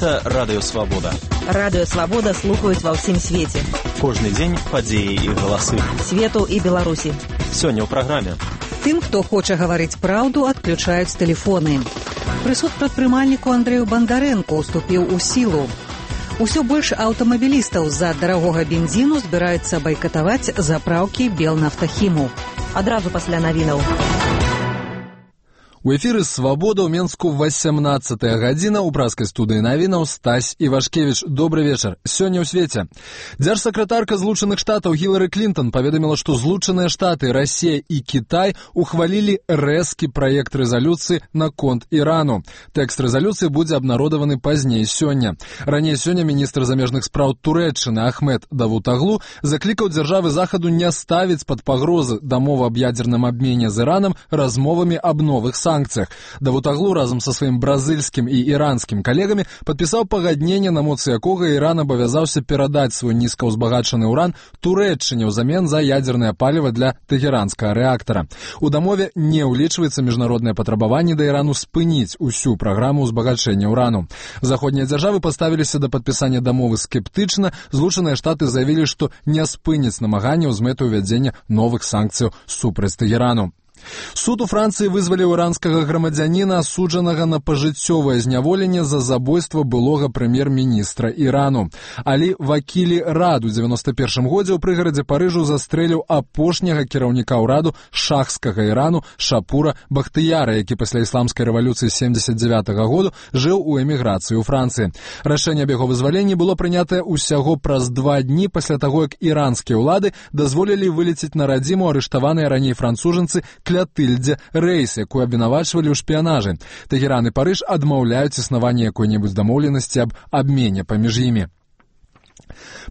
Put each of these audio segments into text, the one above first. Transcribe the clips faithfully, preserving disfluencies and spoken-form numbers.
Гэта Радыё Свабода. Радыё Свабода слухаюць ва ўсім свеце. Кожны дзень падзеі і галасы. Свету і Беларусі. Сёння ў праграме. Тым, хто хоча гаварыць праўду, адключаюць тэлефоны. Прысуд прадпрымальніку Андрэю Бандарэнку уступіў у сілу. Усё больш аўтамабілістаў з-за дарагога бензіну збіраюцца байкатаваць запраўкі Белнафтахіму. Адразу пасля навінаў. У эфіры «Свабода» ў Менску васямнаццатая гадзіна. У праскай студыі навінаў Стась Івашкевіч. Добры вечар. Сёння ў свеце. Дзяржсакратарка Злучаных Штатаў Гілары Клінтон паведаміла, што Злучаныя Штаты, Расія і Кітай ухвалілі рэзкі праект рэзалюцыі наконт Ірану. Тэкст рэзалюцыі будзе абнародаваны пазней сёння. Раней сёння міністр замежных спраў Турэччыны Ахмед Давутаглу заклікаў дзяржавы захаду не ставіць пад пагрозы дамову аб ядзерным абмене з Іранам размовамі аб новых санкцыях. Давутаглу разам са сваім бразыльскім і іранскім калегамі падпісаў пагадненне, на моцы якога Іран абавязаўся перадаць свой нізкаўзбагачаны ўран Турэччыне ўзамен за ядзернае паліва для тэхеранскага рэактара. У дамове не ўлічваецца міжнароднае патрабаванне да Ірану спыніць усю праграму ўзбагачэння ўрану. Заходнія дзяржавы паставіліся да падпісання дамовы скептычна. Злучаныя Штаты заявілі, што не спыняць намаганняў з мэтай увядзення новых санкцыяў супраць Тэхерану. Суд у Францыі вызваліў іранскага грамадзяніна, асуджанага на пажыццёвае зняволенне за забойства былога прэм'ер-міністра Ірану. Алі Вакілі Рад у дзевяноста першым годзе ў прыгарадзе Парыжу застрэліў апошняга кіраўніка ўраду шахскага Ірану Шапура Бахтыяра, які пасля ісламскай рэвалюцыі семдзесят дзявятага году жыў у эміграцыі ў Францыі. Рашэнне аб яго вызваленні было прынятае ўсяго праз два дні пасля таго, як іранскія ўлады дазволілі вылецець на радзіму арыштаваныя раней францужанцы Клятыльдзе Рэйс, якую абвінавачвалі ў шпіянажы. Тэхеран і Парыж адмаўляюць існаванне якой-небудзь дамоўленасці аб абмене паміж імі.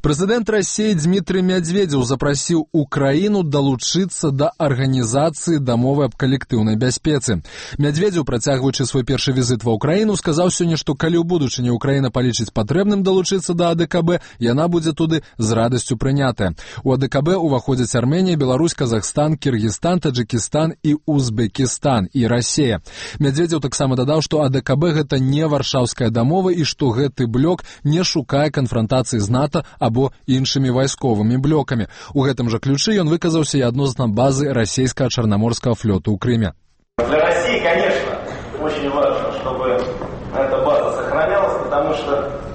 Прэзідэнт Расіі Дмітрый Мядзведзеў запрасіў Украіну далучыцца да арганізацыі дамовы аб калектыўнай бяспецы. Мядзведзеў, працягваючы свой першы візіт ва Ўкраіну, сказаў сёння, што калі ў будучыні Украіна палічыць патрэбным далучыцца да АДКБ, яна будзе туды з радасцю прынятая. У АДКБ уваходзяць Арменія, Беларусь, Казахстан, Кіргізстан, Таджыкістан і Узбекістан і Расія. Мядзведзеў таксама дадаў, што АДКБ гэта не варшаўская дамова і што гэты блок не шукае канфрантацыі з НАТО або іншымі вайсковымі блокамі. У гэтым жа ключы ён выказаўся і адносна базы расійскага чарнаморскага флёту ў Крыме. Для России, конечно, очень важно, чтобы эта база сохранялась, потому что